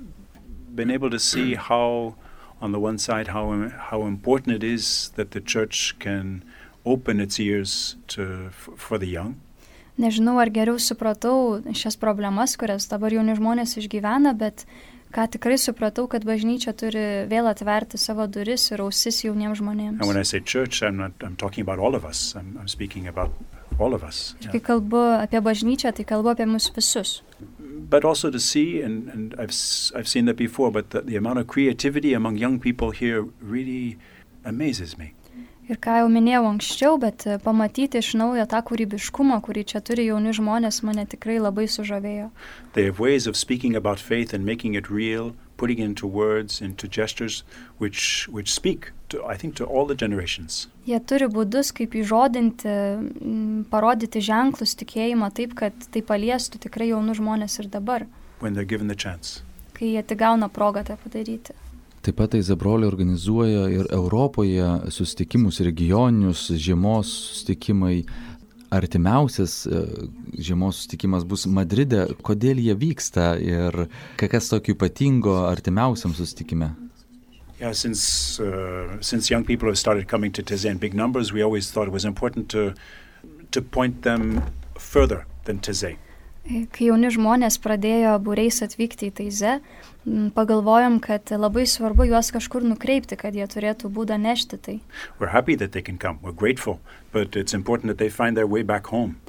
been able to see how, on the one side, how how important it is that the church can open its ears to for the young. Nežinau, ar geriau supratau šias problemas, kurias dabar jauni žmonės išgyvena, bet ką tikrai supratau, kad bažnyčia turi vėl atverti savo duris ir ausis jauniems žmonėms. And when I say church, I'm not I'm talking about all of us. I'm, I'm speaking about all of us. Ir kai kalbu apie bažnyčią, tai kalbu apie mus visus. But also to see, and, and I've I've seen that before, but the, the amount of creativity among young people here really amazes me. Ir ką jau minėjau anksčiau, bet pamatyti iš naujo tą kūrybiškumą, kurį čia turi jauni žmonės, mane tikrai labai sužavėjo. They have ways of speaking about faith and making it real, putting it into words, into gestures, which which speak to, I think, to all the generations. Jie turi būdus, kaip įžodinti, parodyti ženklus tikėjimą taip, kad tai paliestų tikrai jaunų žmonės ir dabar. When they're given the chance. Kai jie tik gauna progą tą padaryti. Taip pat Taize broliai organizuoja ir Europoje susitikimus regioninius, žiemos susitikimai. Artimiausias žiemos susitikimas bus Madride. Kodėl jie vyksta ir kas tokio ypatingo artimiausiam susitikime? Yeah, since uh, since young people have started coming to Taize in big numbers, we always thought it was important to to point them further than Taize. Kai jauni žmonės pradėjo būriais atvykti į Taize, pagalvojom, kad labai svarbu juos kažkur nukreipti, kad jie turėtų būdą nešti tai. We're happy that they can come. We're grateful, but it's important that they find their way back home.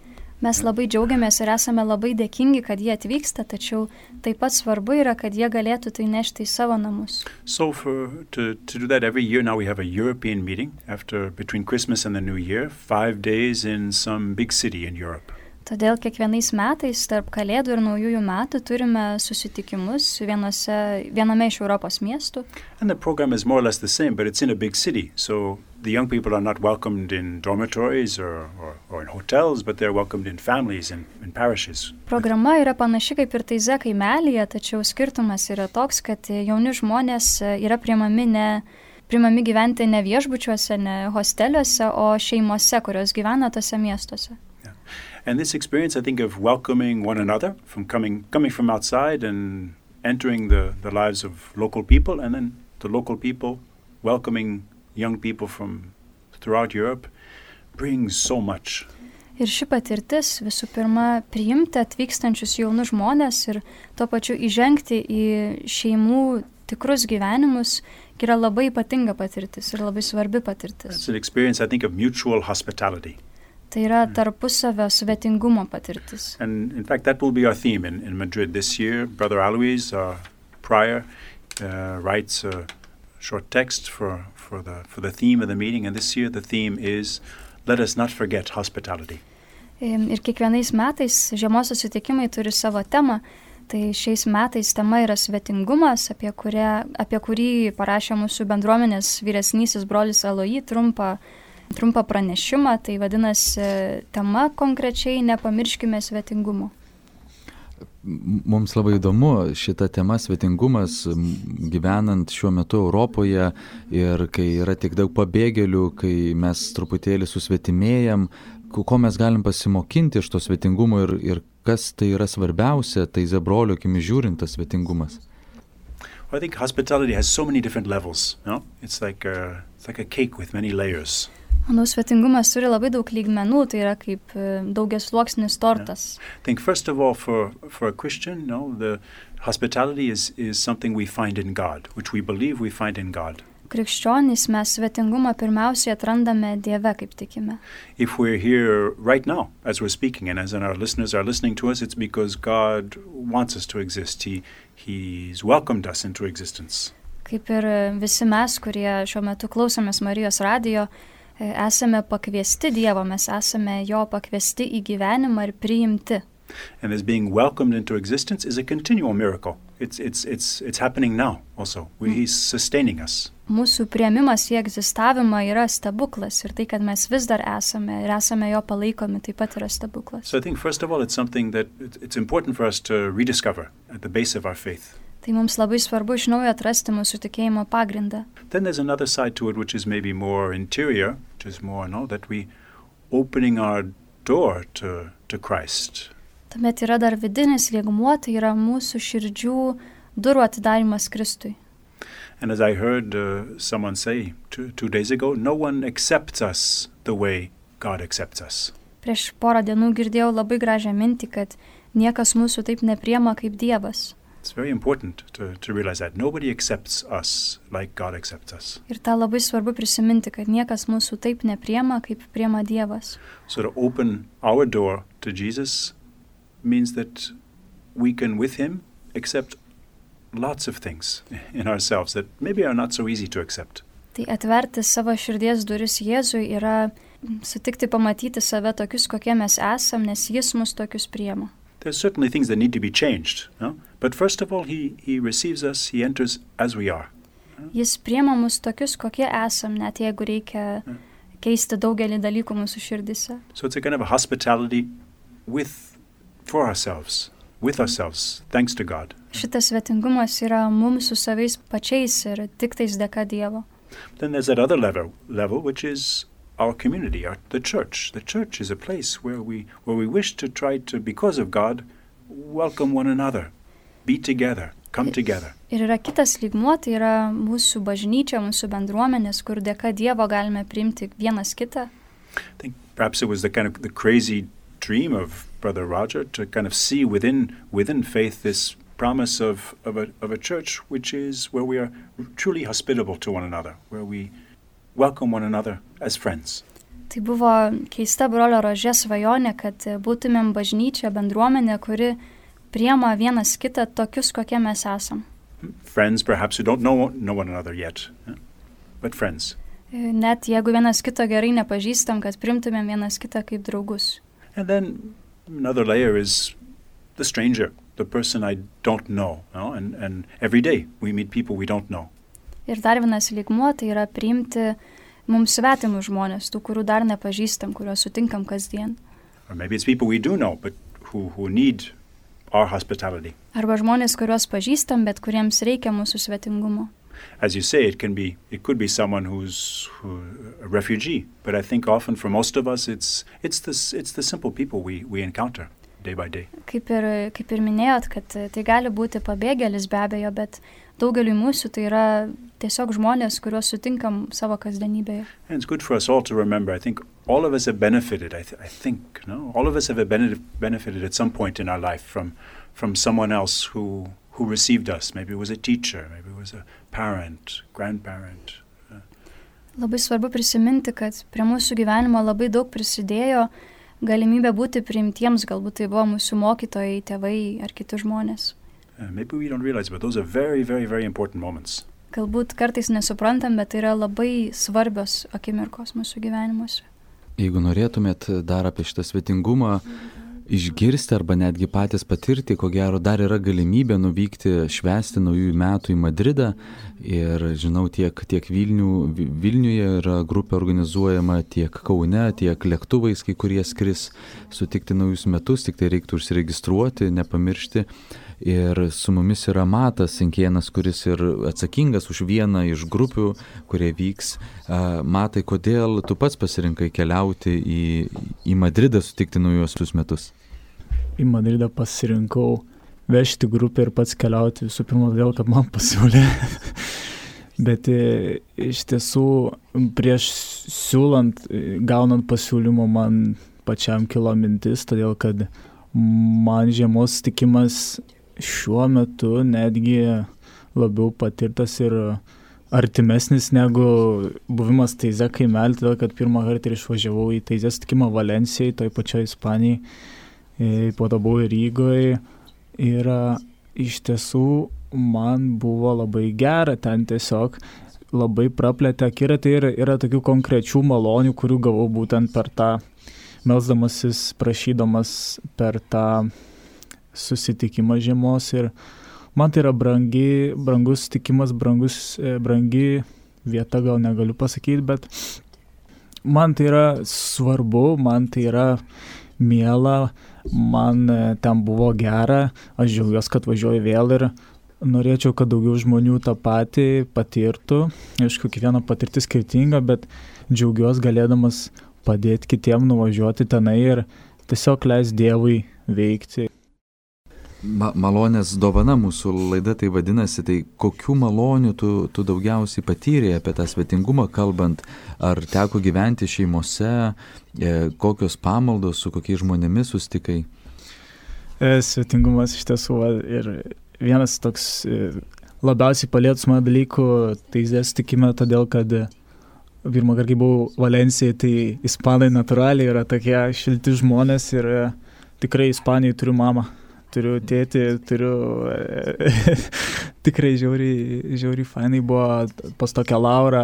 Mes labai džiaugiamės ir esame labai dėkingi, kad jie atvyksta, tačiau taip pat svarbu yra, kad jie galėtų tai nešti į savo namus. So for to to do that every year now we have a European meeting after between Christmas and the New Year, five days in some big city in Europe. Todėl kiekvienais metais tarp Kalėdų ir Naujųjų metų turime susitikimus vienose, viename iš Europos miestų. And the program is more or less the same, but it's in a big city. So the young people are not welcomed in dormitories or, or, or in hotels, but they're welcomed in families and in parishes. Programa yra panaši kaip ir Taize kaimelyje, tačiau skirtumas yra toks, kad jauni žmonės yra priimami ne priimami gyventi ne viešbučiuose, ne hosteliuose, o šeimose, kurios gyvena tose miestuose. And this experience, I think, of welcoming one another, from coming coming from outside and entering the, the lives of local people, and then the local people welcoming young people from throughout Europe, brings so much. Ir ši patirtis visų pirma priimti atvykstančius jaunus žmonės ir tuo pačiu įžengti į šeimų tikrus gyvenimus yra labai ypatinga patirtis ir labai svarbi patirtis. It's an experience, I think, of mutual hospitality. Tai yra tarpusavio svetingumo patirtis. And in fact, that will be our theme in, in Madrid this year. Brother Alois, our prior, uh, writes a short text for, for, the, for the theme of the meeting. And this year the theme is, let us not forget hospitality. Ir kiekvienais metais žiemos susitikimai turi savo temą. Tai šiais metais tema yra svetingumas, apie, kurią, apie kurį parašė mūsų bendruomenės vyresnysis brolis Aloji trumpą, trumpą pranešimą. Tai vadinasi tema konkrečiai nepamirškime svetingumo. Mums labai įdomu šita tema svetingumas, gyvenant šiuo metu Europoje ir kai yra tiek daug pabėgėlių, kai mes truputėlį susvetimėjam, ko mes galim pasimokinti iš to svetingumo ir, ir kas tai yra svarbiausia, tai Zebrolio akimi žiūrint tas svetingumas. Well, I think hospitality has so many different levels, no? It's like a, it's like a cake with many layers. Manau, svetingumas turi labai daug lygmenų, tai yra kaip daugiasluoksnis tortas. Yeah. I think first of all for, for a Christian, no, the hospitality is, is something we find in God, which we believe we find in God. Krikščionys mes svetingumą pirmiausiai atrandame Dieve, kaip tikime. If we're here right now, as we're speaking, and as our listeners are listening to us, it's because God wants us to exist. He, he's welcomed us into existence. Kaip ir visi mes, kurie šiuo metu klausomės Marijos radijo, esame pakviesti Dievo, mes esame jo pakviesti į gyvenimą ir priimti. And this being welcomed into existence is a continual miracle. It's, it's, it's, it's happening now also. We, he's sustaining us. Mūsų priėmimas į egzistavimą yra stebuklas ir tai, kad mes vis dar esame ir esame jo palaikomi, taip pat yra stebuklas. So I think first of all it's something that it's important for us to rediscover at the base of our faith. Tai mums labai svarbu iš naujo atrasti mūsų tikėjimo pagrindą. Then there's another side to it which is maybe more interior, which is more, no, that we opening our door to, to Christ. Tuomet yra dar vidinis lygmuo, tai yra mūsų širdžių durų atidarimas Kristui. And as I heard uh, someone say two, two days ago, no one accepts us the way God accepts us. Prieš porą dienų girdėjau labai gražią mintį, kad niekas mūsų taip nepriema kaip Dievas. It's very important to, to realize that. Nobody accepts us like God accepts us. Ir tą labai svarbu prisiminti, kad niekas mūsų taip nepriema kaip priema Dievas. So to open our door to Jesus means that we can with him accept lots of things in ourselves that maybe are not so easy to accept. Tai atverti savo širdies duris Jėzui yra sutikti pamatyti save tokius, kokie mes esam, nes jis mus tokius priema. There's certainly things that need to be changed, no? But first of all, he, he receives us, he enters as we are. Jis priema mus tokius, kokie esam, net jeigu reikia keisti daugelį dalykų mūsų širdise. So it's a kind of a hospitality with, for ourselves, with ourselves, thanks to God. Šitas svetingumas yra mums su savais pačiais ir tik tais dėka Dievo. Then there's that other level, level which is our community, our, the church. The church is a place where we, where we wish to try to, because of God, welcome one another, be together, come together. Ir yra kitas lygmuo, tai yra mūsų bažnyčia, mūsų bendruomenės, kur dėka Dievo galime priimti vienas kitą. I think perhaps it was the kind of the crazy dream of Brother Roger to kind of see within within faith this promise of, of, a, of a church which is where we are truly hospitable to one another, where we welcome one another as friends. Tai buvo keista brolio Rožė svajonė, kad būtumėm bažnyčia, bendruomenė, kuri priema vienas kitą tokius, kokie mes esam. Friends perhaps who don't know, know one another yet, yeah? But friends. Net jeigu vienas kito gerai nepažįstam, kad primtumėm vienas kitą kaip draugus. And then another layer is the stranger, the person I don't know, no? and, and every day we meet people we don't know. Ir dar vienas lygmuo, tai yra priimti mums svetimus žmonės, tų, kurių dar nepažįstam, kuriuos sutinkam kasdien. Or maybe it's people we do know, but who, who need our hospitality. Arba žmonės, kuriuos pažįstam, bet kuriems reikia mūsų svetingumo. As you say, it can be, it could be someone who's who, a refugee, but I think often for most of us, it's it's the it's the simple people we we encounter day by day. Kaip ir kaip ir minėjot, kad tai gali būti pabėgėlis be abejo, bet daugeliui mūsų tai yra tiesiog žmonės, kuriuos sutinkam savo kasdienybėje. And it's good for us all to remember. I think all of us have benefited. I, th- I think, no, all of us have benefit, benefited at some point in our life from from someone else who. who received us. Maybe it was a teacher, maybe it was a parent, grandparent. Labai svarbu prisiminti, kad prie mūsų gyvenimo labai daug prisidėjo galimybė būti priimtiems, galbūt tai buvo mūsų mokytojai, tėvai ar kiti žmonės. Uh, maybe we don't realize, but those are very, very, very important moments. galbūt kartais nesuprantam, bet tai yra labai svarbios akimirkos mūsų gyvenimuose. Jeigu norėtumėt dar apie šitą svetingumą išgirsti arba netgi patys patirti, ko gero dar yra galimybė nuvykti švęsti naujųjų metų į Madridą. Ir žinau, tiek, tiek Vilnių, Vilniuje yra grupė organizuojama, tiek Kaune, tiek lėktuvais, kai kurie skris sutikti naujus metus, tik tai reiktų užsiregistruoti, nepamiršti. Ir su mumis yra Matas Sinkienas, kuris ir atsakingas už vieną iš grupių, kurie vyks. Matai, kodėl tu pats pasirinkai keliauti į, į Madridą sutikti naujosius metus? Į Madridą pasirinkau vežti grupę ir pats keliauti visų pirma todėl, kad man pasiūlė. Bet iš tiesų prieš siūlant, gaunant pasiūlymą man pačiam kilo mintis, todėl kad man žiemos sutikimas šiuo metu netgi labiau patirtas ir artimesnis negu buvimas Taize kaimelį, todėl kad pirmą kartą ir išvažiavau į Taize sutikimą Valencijai, toj pačioj Ispanijai, po to buvau Rygoje ir iš tiesų man buvo labai gera, ten tiesiog labai praplėtė akiratį ir yra tokių konkrečių malonių, kurių gavau būtent per tą, melsdamasis, prašydamas per tą susitikimą žiemos ir man tai yra brangi, brangus sutikimas, brangus, brangi vieta, gal negaliu pasakyti, bet man tai yra svarbu, man tai yra miela, man ten buvo gera, aš džiaugiuosi, kad važiuoju vėl ir norėčiau, kad daugiau žmonių tą patį patirtų. Aišku, kiekviena patirtis skirtinga, bet džiaugiuosi galėdamas padėti kitiem nuvažiuoti tenai ir tiesiog leis Dievui veikti. Ma- malonės dovana mūsų laida tai vadinasi, tai kokių malonių tu, tu daugiausiai patyrė apie tą svetingumą kalbant, ar teko gyventi šeimose, e, kokios pamaldos, su kokiais žmonėmis susitikai? E, svetingumas iš tiesų ir vienas toks e, labiausiai palietus mano dalykų Taize sutikime, todėl kad pirmą kartą, kai buvau Valencijai, tai ispanai natūraliai yra tokie šilti žmonės ir e, tikrai Ispanijai turiu mamą. Turiu tėtį, turiu tikrai žiauriai, žiauriai fainai buvo pas tokią Laurą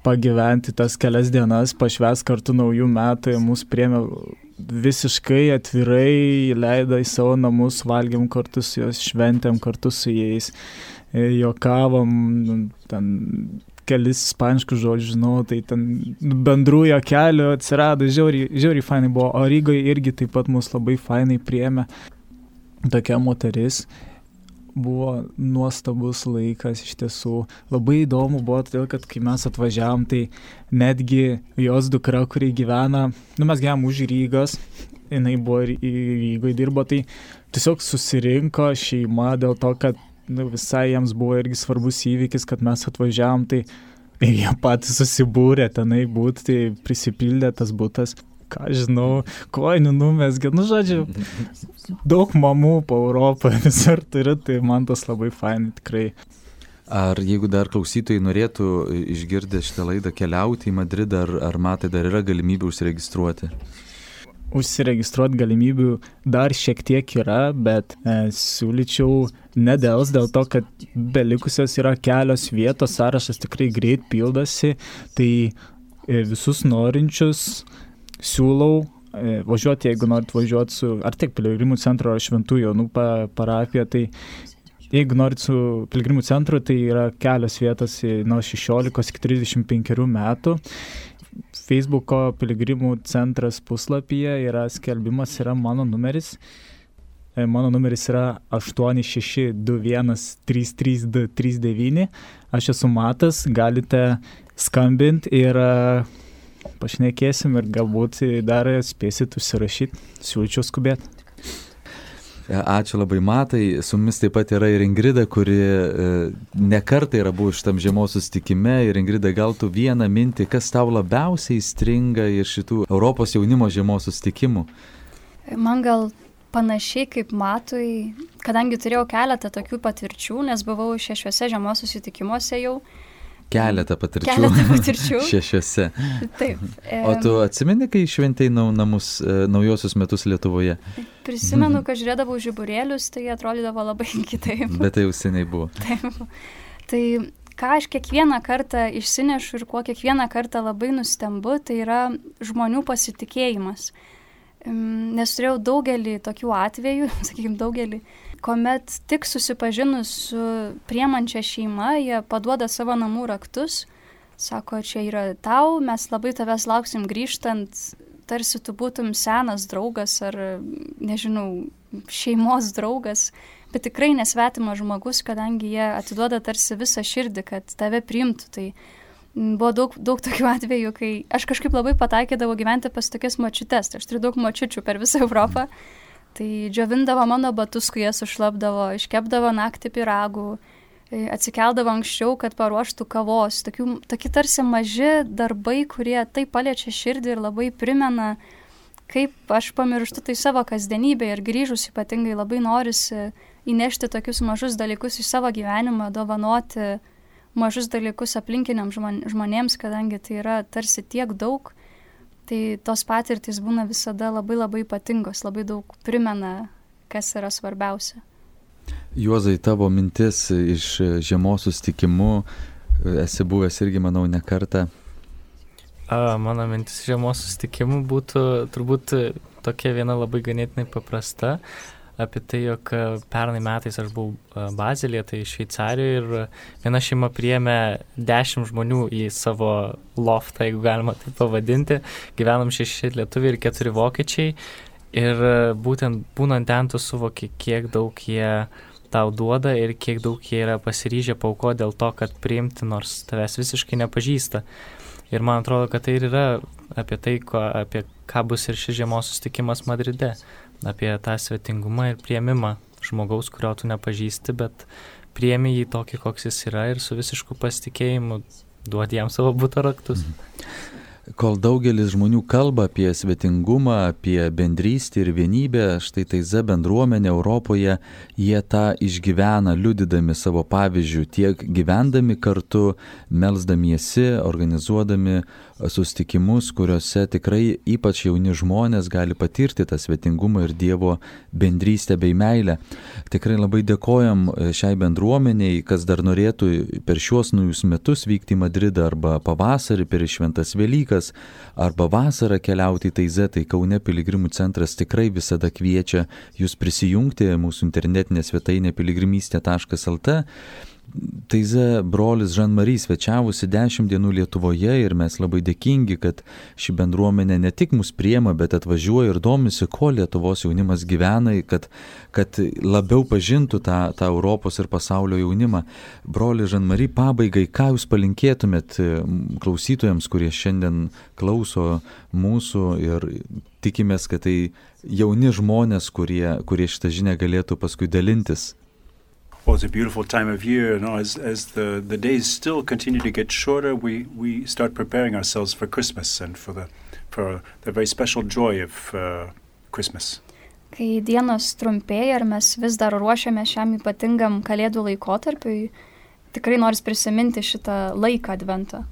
pagyventi tas kelias dienas, pašvęs kartu naujų metų, mūsų priėmė visiškai atvirai, leido į savo namus, valgėm kartu su jos, šventėm kartu su jais, juokavom, ten kelis ispaniškus žodžius žinau, tai ten bendrų juokelių atsirado, žiauriai, žiauriai fainai buvo, o Rygoje irgi taip pat mus labai fainai priėmė. Tokia moteris, buvo nuostabus laikas iš tiesų. Labai įdomu buvo, todėl kad kai mes atvažiavom, tai netgi jos dukra, kuri gyvena, nu mes gyvenam už Rygos, jinai buvo Rygoje dirbo, tai tiesiog susirinko šeima dėl to, kad nu, visai jiems buvo irgi svarbus įvykis, kad mes atvažiavom, tai jie patys susibūrė tenai būti, tai prisipildė tas butas. Ką žinau, kojinių numesgė, nu žodžiu, daug mamų po Europą visur turiu, tai man tas labai fainai tikrai. Ar jeigu dar klausytojai norėtų išgirdę šitą laidą keliauti į Madridą, ar, ar Matai dar yra galimybė užsiregistruoti? Užsiregistruoti galimybių dar šiek tiek yra, bet e, siūlyčiau nedels dėl to, kad belikusios yra kelios vietos, sąrašas tikrai greit pildosi, tai e, visus norinčius siūlau e, važiuoti, jeigu norit važiuoti su, ar tiek Piligrimų centro ar Šventų Jonų pa, parapija, tai jeigu norit su Piligrimų centru, tai yra kelios vietos nuo šešiolikos iki trisdešimt penkerių metų. Facebooko Piligrimų centras puslapyje yra skelbimas, yra mano numeris. E, mano numeris yra aštuoni šeši du vienas trys trys du trys devyni. Aš esu Matas, galite skambinti ir pašnekėsim ir galbūt dar spėsit užsirašyti, siūlyčiau skubėti. Ačiū labai Matai, su mumis taip pat yra ir Ingrida, kuri ne kartą yra buvo šitam žiemos susitikime. Ir Ingrida, gal tu vieną mintį, kas tau labiausiai stringa iš šitų Europos jaunimo žiemos susitikimų? Man gal panašiai kaip Matui, kadangi turėjau keletą tokių patirčių, nes buvau šešiuose žiemos susitikimuose jau. Keletą patirčių. Keletą patirčių. Šešiuose. Taip. O tu atsimeni, kai šventei namus, naujosius metus Lietuvoje? Prisimenu, kad žiūrėdavau žiburėlius, tai atrodydavo labai kitaip. Bet tai jau seniai buvo. Taip. Tai ką aš kiekvieną kartą išsinešu ir kuo kiekvieną kartą labai nustembu, tai yra žmonių pasitikėjimas. Nes turėjau daugelį tokių atvejų, sakykime daugelį, kuomet tik susipažinus su priemančia šeima, jie paduoda savo namų raktus, sako, čia yra tau, mes labai tavęs lauksim grįžtant, tarsi tu būtum senas draugas ar, nežinau, šeimos draugas, bet tikrai nesvetimas žmogus, kadangi jie atiduoda tarsi visą širdį, kad tave priimtų. Tai buvo daug, daug tokių atvejų, kai aš kažkaip labai pataikydavau gyventi pas tokias močiutes, tai aš turiu daug močiučių per visą Europą, tai džiovindavo mano batus, kai jie sušlapdavo, iškepdavo naktį pyragų, atsikeldavo anksčiau, kad paruoštų kavos, tokių, tokie tarsi maži darbai, kurie taip paliečia širdį ir labai primena, kaip aš pamirštu tai savo kasdienybę ir grįžus ypatingai labai norisi įnešti tokius mažus dalykus į savo gyvenimą, dovanoti mažus dalykus aplinkiniam žmonėms, kadangi tai yra tarsi tiek daug, tai tos patirtys būna visada labai labai ypatingos, labai daug primena, kas yra svarbiausia. Juozai, tavo mintis iš žiemos susitikimų, esi buvęs irgi, manau, ne kartą. A, mano mintis žiemos susitikimų būtų turbūt tokia viena labai ganėtinai paprasta. Apie tai, jog pernai metais aš buvau Bazelyje, tai Šveicarijoje, ir viena šeima priėmė dešimt žmonių į savo loftą, jeigu galima tai pavadinti. Gyvenom šeši lietuviai ir keturi vokiečiai. Ir būtent būnant ten tu suvoki, kiek daug jie tau duoda ir kiek daug jie yra pasiryžę paaukoti dėl to, kad priimti, nors tavęs visiškai nepažįsta. Ir man atrodo, kad tai ir yra apie tai, ko, apie ką bus ir šis žiemos susitikimas Madride. Apie tą svetingumą ir priėmimą žmogaus, kurio tu nepažįsti, bet priėmi jį tokį, koks jis yra ir su visišku pasitikėjimu duodi jam savo buto raktus. Kol daugelis žmonių kalba apie svetingumą, apie bendrystę ir vienybę, štai Taize bendruomenė Europoje, jie tą išgyvena, liudydami savo pavyzdžių, tiek gyvendami kartu, melsdamiesi, organizuodami susitikimus, kuriuose tikrai ypač jauni žmonės gali patirti tą svetingumą ir Dievo bendrystę bei meilę. Tikrai labai dėkojam šiai bendruomeniai, kas dar norėtų per šiuos naujus metus vykti į Madridą arba pavasarį per šventas Velykas, arba vasarą keliauti į Taizę, tai Kaune piligrimų centras tikrai visada kviečia jūs prisijungti, mūsų internetinė svetainė piligrimystė taškas lt. Taize brolis Jean-Marie svečiavusi dešimt dienų Lietuvoje ir mes labai dėkingi, kad ši bendruomenė ne tik mus priema, bet atvažiuoja ir domisi, ko Lietuvos jaunimas gyvena, kad, kad labiau pažintų tą, tą Europos ir pasaulio jaunimą. Broli Jean-Marie, pabaigai, ką jūs palinkėtumėt klausytojams, kurie šiandien klauso mūsų ir tikimės, kad tai jauni žmonės, kurie, kurie šitą žinią galėtų paskui dalintis? Well, it's a beautiful time of year, you know, as, as the, the days still continue to get shorter, we, we start preparing ourselves for Christmas and for the, for the very special joy of uh, Christmas. Kai dienos trumpėja ir mes vis dar ruošiame šiam ypatingam kalėdų laikotarpiui, tikrai nors prisiminti šitą laiką adventą.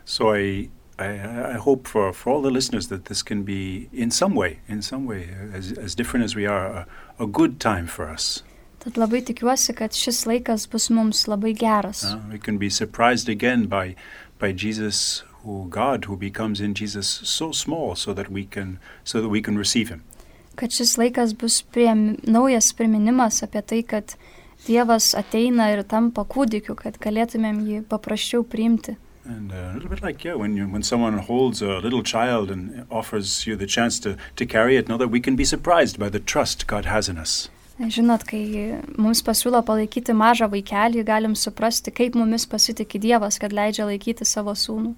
So I, I, I hope for, for all the listeners that this can be in some way, in some way, as, as different as we are, a, a good time for us. Tad labai tikiuosi, kad šis laikas bus mums labai geras. Uh, we can be surprised again by, by Jesus, who God, who becomes in Jesus so small so that we can, so that we can receive him. Kad šis laikas bus priem, naujas priminimas apie tai, kad Dievas ateina ir tampa kūdikiu, kad galėtumėm jį paprasčiau priimti. And uh, a little bit like, yeah, when you, when someone holds a little child and offers you the chance to, to carry it, know that we can be surprised by the trust God has in us. Žinot, kai mums pasiūlo palaikyti mažą vaikelį, galim suprasti, kaip mumis pasitikė Dievas, kad leidžia laikyti savo sūnų.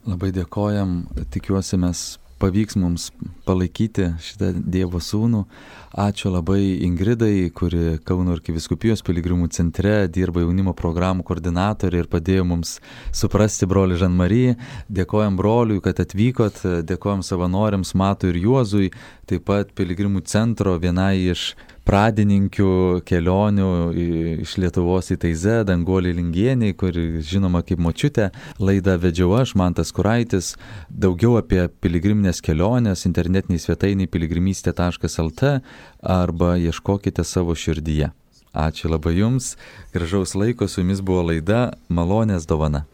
Labai dėkojam, tikiuosi mes pavyks mums palaikyti šitą Dievo sūnų. Ačiū labai Ingridai, kuri Kauno arkivyskupijos piligrimų centre dirba jaunimo programų koordinatorė ir padėjo mums suprasti brolį Jean-Marie. Dėkojam broliui, kad atvykot, dėkojam savanoriams Matui ir Juozui, taip pat piligrimų centro vienai iš pradininkių kelionių iš Lietuvos į Taizę, Danguolė Lingienė, kuri žinoma kaip močiutė. Laidą vedžiau aš, Mantas Kuraitis. Daugiau apie piligriminės kelionės internetiniai svetainiai piligrimystė taškas lt arba ieškokite savo širdyje. Ačiū labai Jums, gražaus laiko, su Jumis buvo laida Malonės dovana.